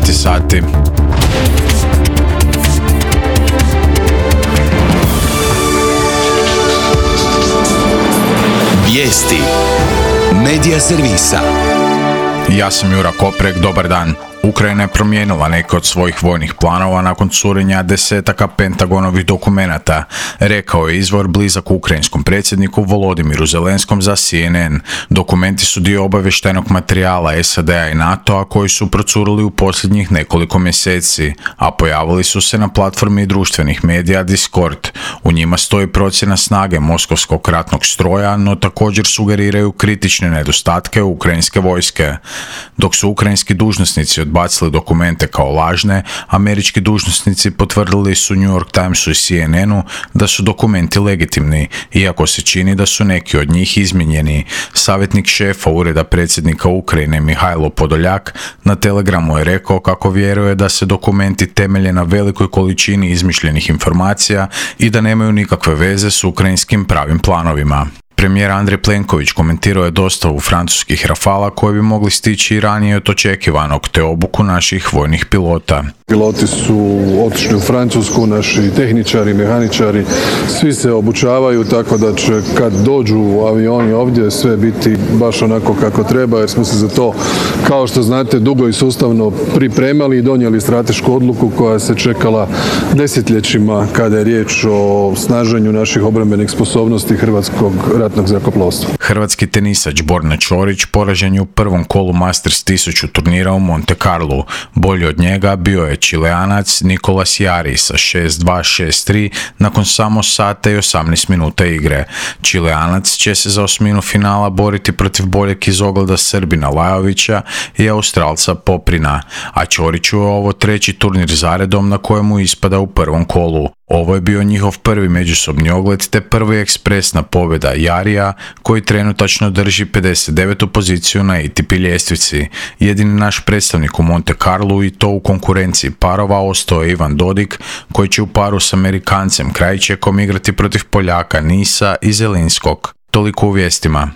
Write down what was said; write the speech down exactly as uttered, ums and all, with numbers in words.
dvadeset sati. Vijesti Medija servisa. Ja sam Jura Koprek, dobar dan. Ukrajina je promijenila neke od svojih vojnih planova nakon curenja desetaka Pentagonovih dokumenata, rekao je izvor blizak ukrajinskom predsjedniku Volodimiru Zelenskom za C N N. Dokumenti su dio obavještajnog materijala S A D-a i NATO-a koji su procurili u posljednjih nekoliko mjeseci, a pojavili su se na platformi društvenih medija Discord. U njima stoji procjena snage moskovskog ratnog stroja, no također sugeriraju kritične nedostatke ukrajinske vojske. Dok su ukrajinski dužnosnici odbacili dokumente kao lažne, američki dužnosnici potvrdili su New York Timesu i C N N-u da su dokumenti legitimni, iako se čini da su neki od njih izmijenjeni. Savjetnik šefa Ureda predsjednika Ukrajine Mihajlo Podoljak na Telegramu je rekao kako vjeruje da se dokumenti temelje na velikoj količini izmišljenih informacija i da nemaju nikakve veze s ukrajinskim pravim planovima. Premijer Andrej Plenković komentirao je dostavu francuskih Rafala koji bi mogli stići i ranije od očekivanog, te obuku naših vojnih pilota. Piloti su otišli u Francusku, naši tehničari, mehaničari, svi se obučavaju, tako da će kad dođu u avioni ovdje sve biti baš onako kako treba, jer smo se za to, kao što znate, dugo i sustavno pripremali i donijeli stratešku odluku koja se čekala desetljećima kada je riječ o snaženju naših obrambenih sposobnosti hrvatskog ratnog zrakoplovstva. Hrvatski tenisač Borna Ćorić poražen je u prvom kolu Masters tisuću turnira u Monte Carlu. Bolji od njega bio je Čileanac Nicolas Jarry sa šest dva šest tri nakon samo sata i osamnaest minuta igre. Čileanac će se za osminu finala boriti protiv boljeg iz ogleda Srbina Lajovića i Australca Poprina, a Ćoriću je ovo treći turnir zaredom na kojemu ispada u prvom kolu. Ovo je bio njihov prvi međusobni ogled te prvi ekspresna pobjeda Jarija, koji trenutačno drži pedeset devetu poziciju na A T P ljestvici. Jedini naš predstavnik u Monte Carlu i to u konkurenciji parova ostao je Ivan Dodig, koji će u paru s Amerikancem Krajčekom igrati protiv Poljaka Nisa i Zelinskog. Toliko u vijestima.